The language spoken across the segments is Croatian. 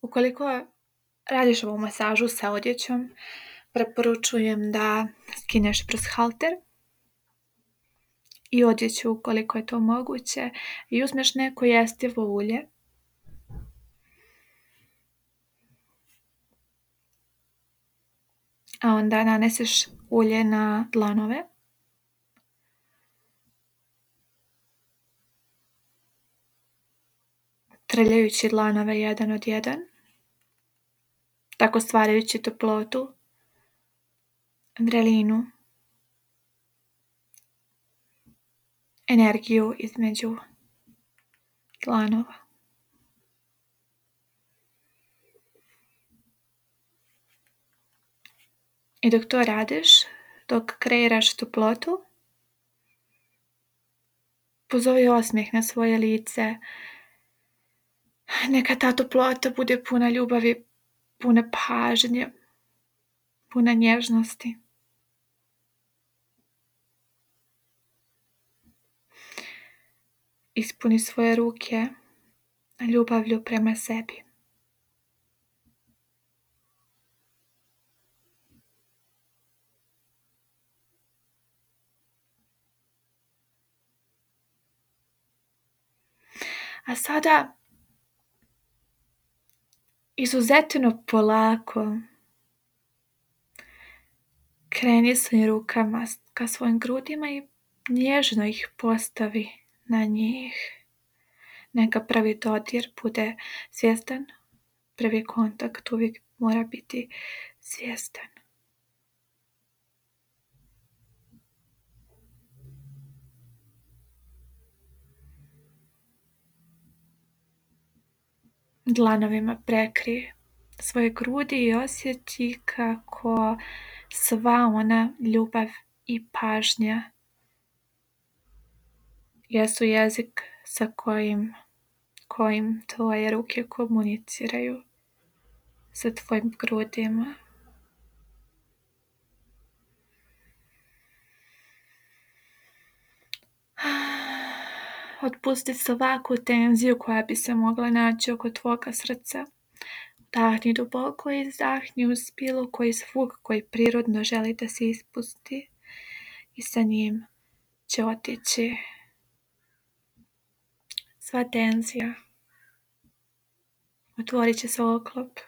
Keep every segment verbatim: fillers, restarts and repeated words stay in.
Ukoliko radiš ovu masažu sa odjećom, preporučujem da skineš prst halter i odjeću ukoliko je to moguće i uzmeš neko jestivo ulje. A onda naneseš ulje na dlanove. Trljajući dlanove jedan od jedan. Tako stvarajući toplotu, vrelinu, energiju između dlanova. I dok to radiš, dok kreiraš toplotu, pozovi osmijeh na svoje lice. Neka ta toplota bude puna ljubavi, puna pažnje, puna nježnosti. Ispuni svoje ruke ljubavlju prema sebi. A sada izuzetno polako kreni svojim rukama ka svojim grudima i nježno ih postavi na njih. Neka prvi dodir bude svjestan, prvi kontakt uvijek mora biti svjestan. Dlanovima prekrij svoje grudi i osjeti kako sva ona ljubav i pažnja jesu jezik sa kojim, kojim tvoje ruke komuniciraju sa tvojim grudima. Otpusti svaku tenziju koja bi se mogla naći oko tvoga srca. Udahni duboko i izdahni uz bilo koji zvuk koji prirodno želi da se ispusti i sa njim će otići sva tenzija. Otvorit će se oklop.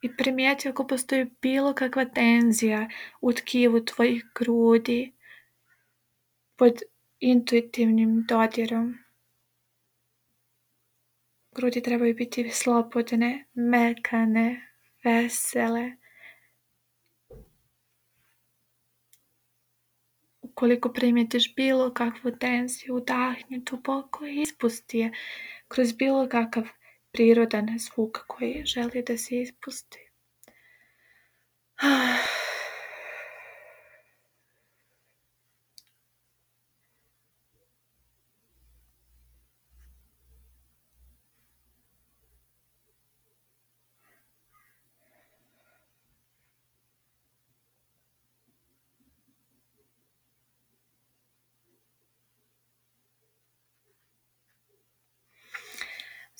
I primijeti ako postoji bilo kakva tenzija u tkivu tvojih grudi pod intuitivnim dodirom. Grudi trebaju biti slobodne, mekane, vesele. Ukoliko primijetiš bilo kakvu tenziju, udahni duboko i ispusti je kroz bilo kakav prirodan zvuk koji želi da se ispusti.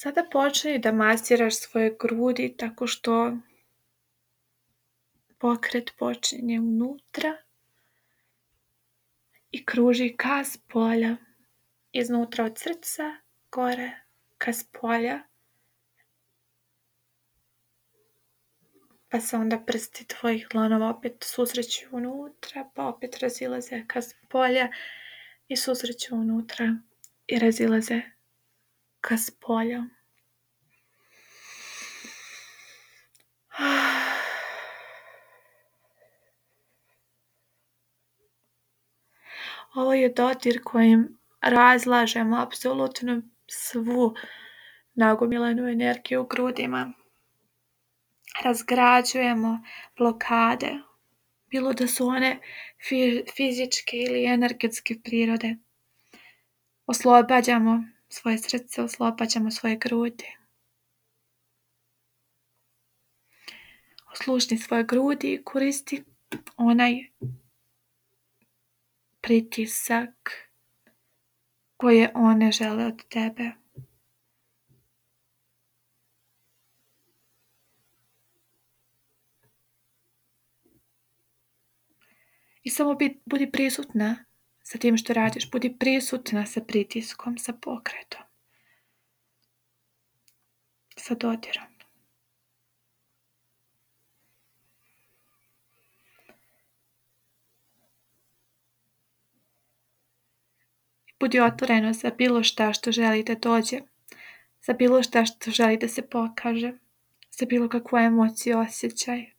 Sada počni da masiraš svoje grudi tako što pokret počinje unutra i kruži ka spolja, iznutra od srca, gore ka spolja. Pa se onda prsti tvojih dlanova opet susreću unutra, pa opet razilaze ka spolja i susreću unutra i razilaze ka spolju. Ovo je dodir kojim razlažemo apsolutno svu nagomilanu energiju u grudima. Razgrađujemo blokade, bilo da su one fizičke ili energetske prirode. Oslobađamo svoje srce, oslobađamo svoje grudi. Oslušni svoje grudi i koristi onaj pritisak koje one žele od tebe. I samo budi prisutna sa tim što radiš, budi prisutna sa pritiskom, sa pokretom, sa dodirom. Budi otvorena za bilo šta što želi da dođe, za bilo šta što želi da se pokaže, za bilo kakvu emociju, osjećaj.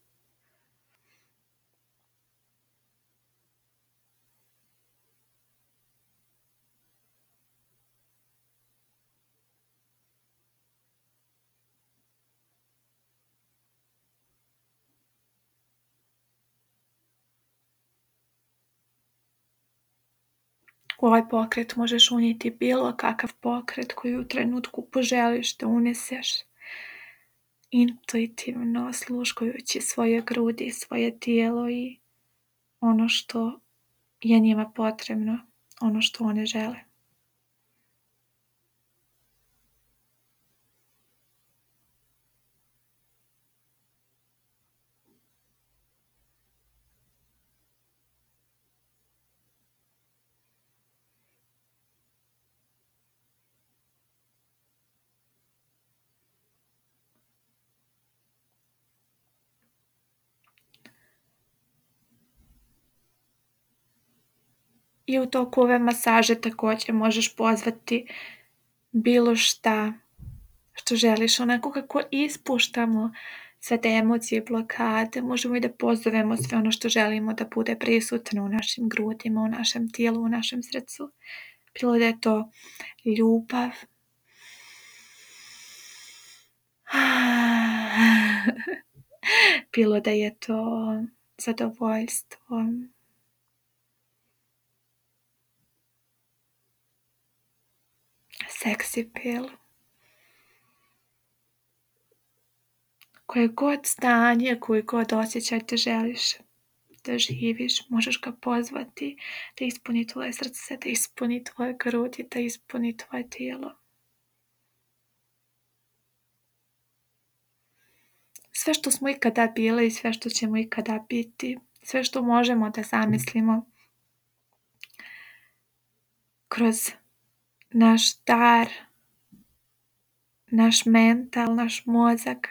U ovaj pokret možeš unijeti bilo kakav pokret koji u trenutku poželiš da uneseš, intuitivno osluškujući svoje grudi, svoje tijelo i ono što je njima potrebno, ono što one žele. I u toku ove masaže također možeš pozvati bilo šta što želiš, onako kako ispuštamo sve te emocije i blokade, možemo i da pozovemo sve ono što želimo da bude prisutno u našim grudima, u našem tijelu, u našem srcu. Bilo da je to ljubav, bilo da je to zadovoljstvo, seksi pil. Koje god stanje, koji god osjećaj te želiš da živiš, možeš ga pozvati da ispuni tvoje srce, da ispuni tvoje grudi, da ispuni tvoje tijelo. Sve što smo ikada bili i sve što ćemo ikada biti, sve što možemo da zamislimo kroz naš dar, naš mental, naš mozak,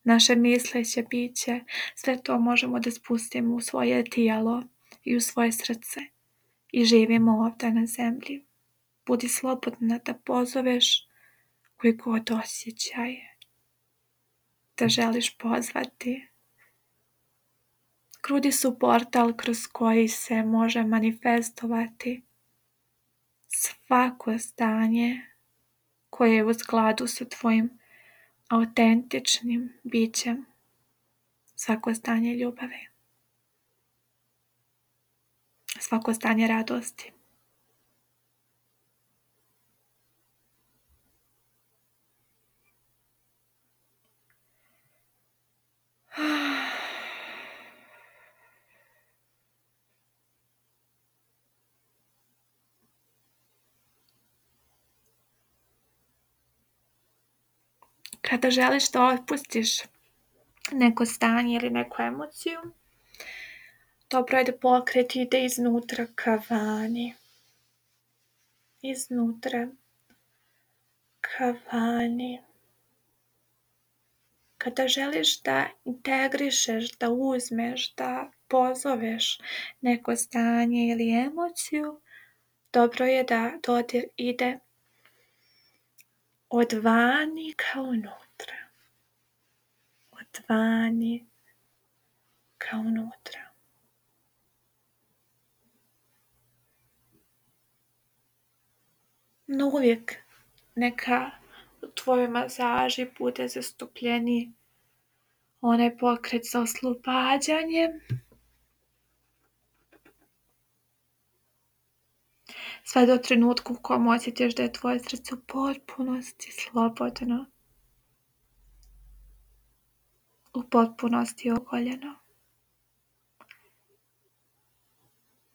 naše misleće biće, sve to možemo da spustimo u svoje tijelo i u svoje srce i živimo ovdje na zemlji. Budi slobodna da pozoveš koji god osjećaj da želiš pozvati. Grudi su portal kroz koji se može manifestovati svako stanje koje je u skladu sa tvojim autentičnim bićem, svako stanje ljubavi, svako stanje radosti. Kada želiš da otpustiš neko stanje ili neku emociju, dobro je da pokret ide iznutra ka vani. Iznutra ka vani. Kada želiš da integrišeš, da uzmeš, da pozoveš neko stanje ili emociju, dobro je da dodir ide od vani ka unutra. Od vani ka unutra. No uvijek neka u tvojoj masaži bude zastupljeniji onaj pokret za oslobađanje. Sve do trenutka u kojem osjetiš da je tvoje srce u potpunosti slobodno. U potpunosti ogoljeno.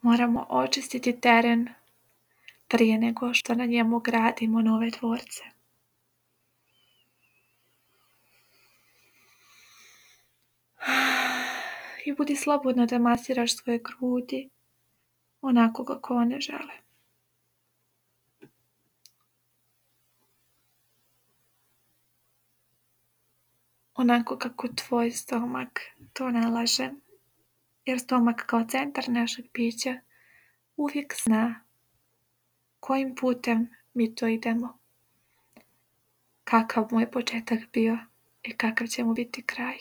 Moramo očistiti teren prije nego što na njemu gradimo nove tvorce. I budi slobodna da masiraš svoje grudi onako kako one žele. Onako kako tvoj stomak to nalaže. Jer stomak kao centar našeg bića uvijek zna kojim putem mi to idemo. Kakav mu je početak bio i kakav će mu biti kraj.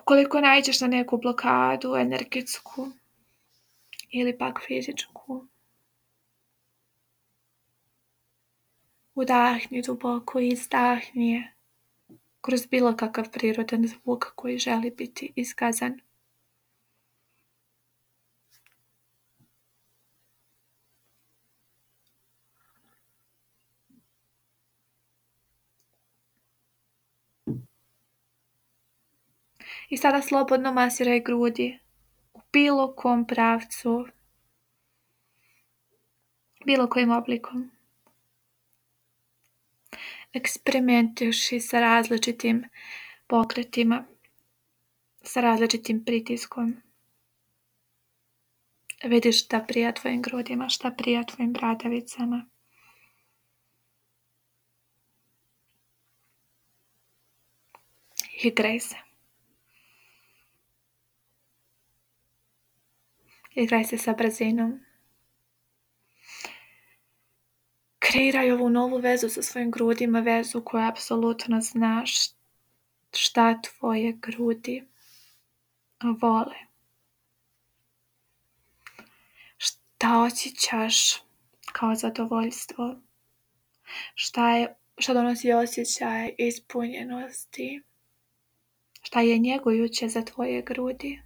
Ukoliko naiđeš na neku blokadu energetsku ili pak fizičku, udahni duboko i izdahni je kroz bilo kakav prirodan zvuk koji želi biti iskazan. I sada slobodno masiraj grudi u bilo kom pravcu, bilo kojim oblikom. Eksperimentiši sa različitim pokretima, sa različitim pritiskom. Vidiš šta prija tvojim grudima, šta prija tvojim bradavicama. Igraj se. Igraj se sa brzinom. Kreiraj ovu novu vezu sa svojim grudima, vezu koja apsolutno znaš šta tvoje grudi vole. Šta osjećaš kao zadovoljstvo? Šta, je, šta donosi osjećaj ispunjenosti? Šta je njegujuće za tvoje grudi?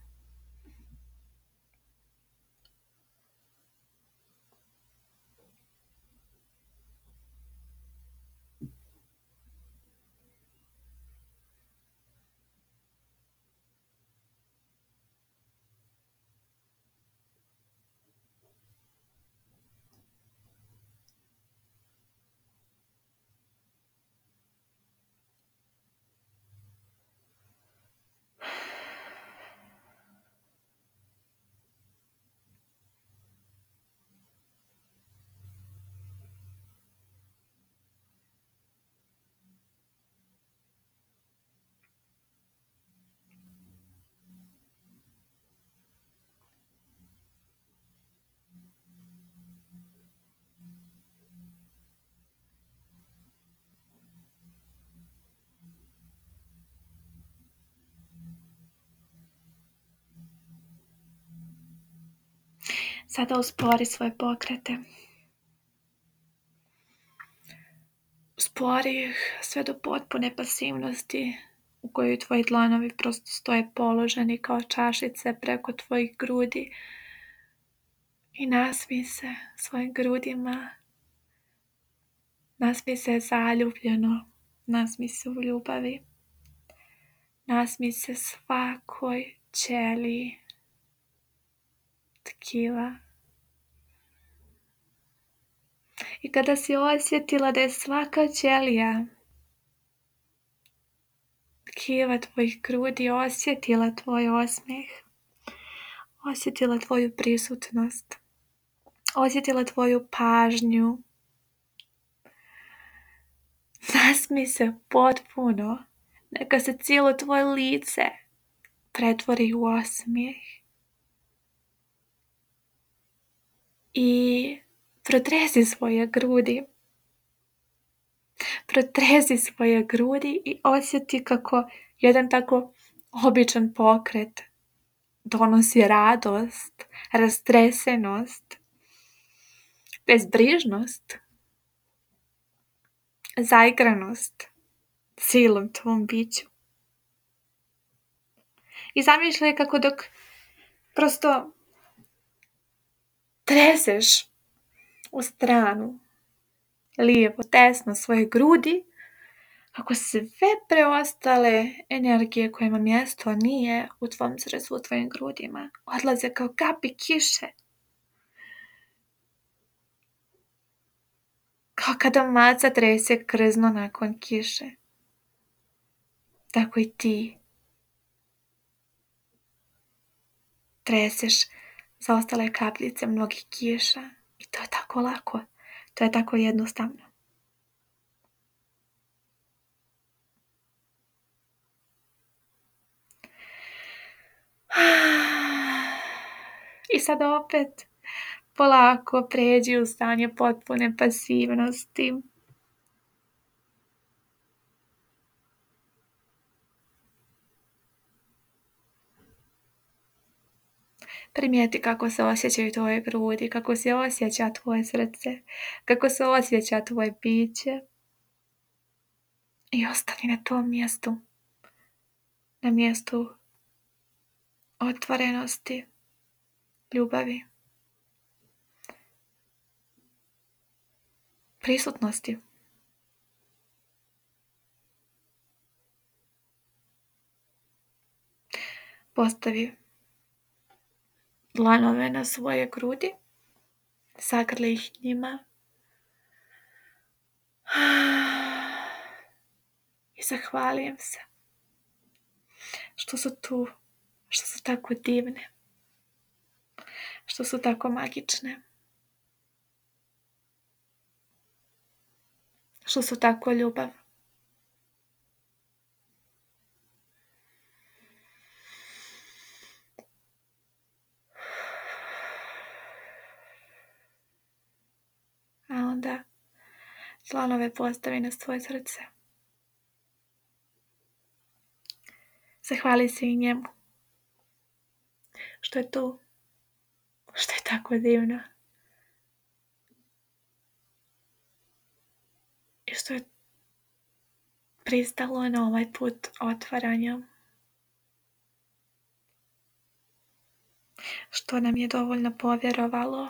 Sada uspori svoje pokrete. Uspori ih sve do potpune pasivnosti u kojoj tvoji dlanovi prosto stoje položeni kao čašice preko tvojih grudi i nasmij se svojim grudima. Nasmij se zaljubljeno, nasmij se u ljubavi. Nasmij se svakoj ćeliji tkiva. I kada si osjetila da je svaka ćelija tkiva tvojih grudi osjetila tvoj osmijeh, osjetila tvoju prisutnost, osjetila tvoju pažnju, nasmij se potpuno, neka se cijelo tvoje lice pretvori u osmijeh. I protresi svoje grudi. Protresi svoje grudi i osjeti kako jedan tako običan pokret donosi radost, rastresenost, bezbrižnost, zaigranost silom tvom biću. I zamišljaj kako dok prosto treseš u stranu, lijevo, desno svoje grudi, Kako sve preostale energije kojima mjesto nije u tvom srcu, u tvojim grudima, odlaze kao kapi kiše. Kao kada maca trese krzno nakon kiše. Tako i ti treseš zaostale kapljice mnogih kiša. I to je tako lako. To je tako jednostavno. I sad opet polako pređi u stanje potpune pasivnosti. Primijeti kako se osjećaju tvoje grudi, kako se osjeća tvoje srce, kako se osjeća tvoje biće. I ostani na tom mjestu, na mjestu otvorenosti, ljubavi, prisutnosti. Postavi dlanove na svoje grudi, zagrli ih njima i zahvalim se što su tu, što su tako divne, što su tako magične, što su tako ljubav. A onda dlanove postavi na svoje srce. Zahvali se i njemu što je tu, što je tako divno i što je pristalo na ovaj put otvaranja, što nam je dovoljno povjerovalo,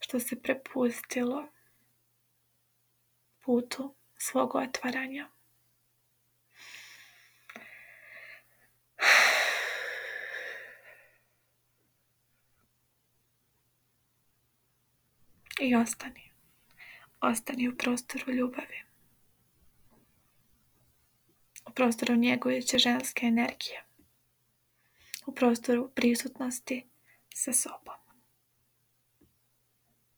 što se prepustilo putu svog otvaranja. I ostani, ostani u prostoru ljubavi, u prostoru njegujuće ženske energije, u prostoru prisutnosti sa sobom.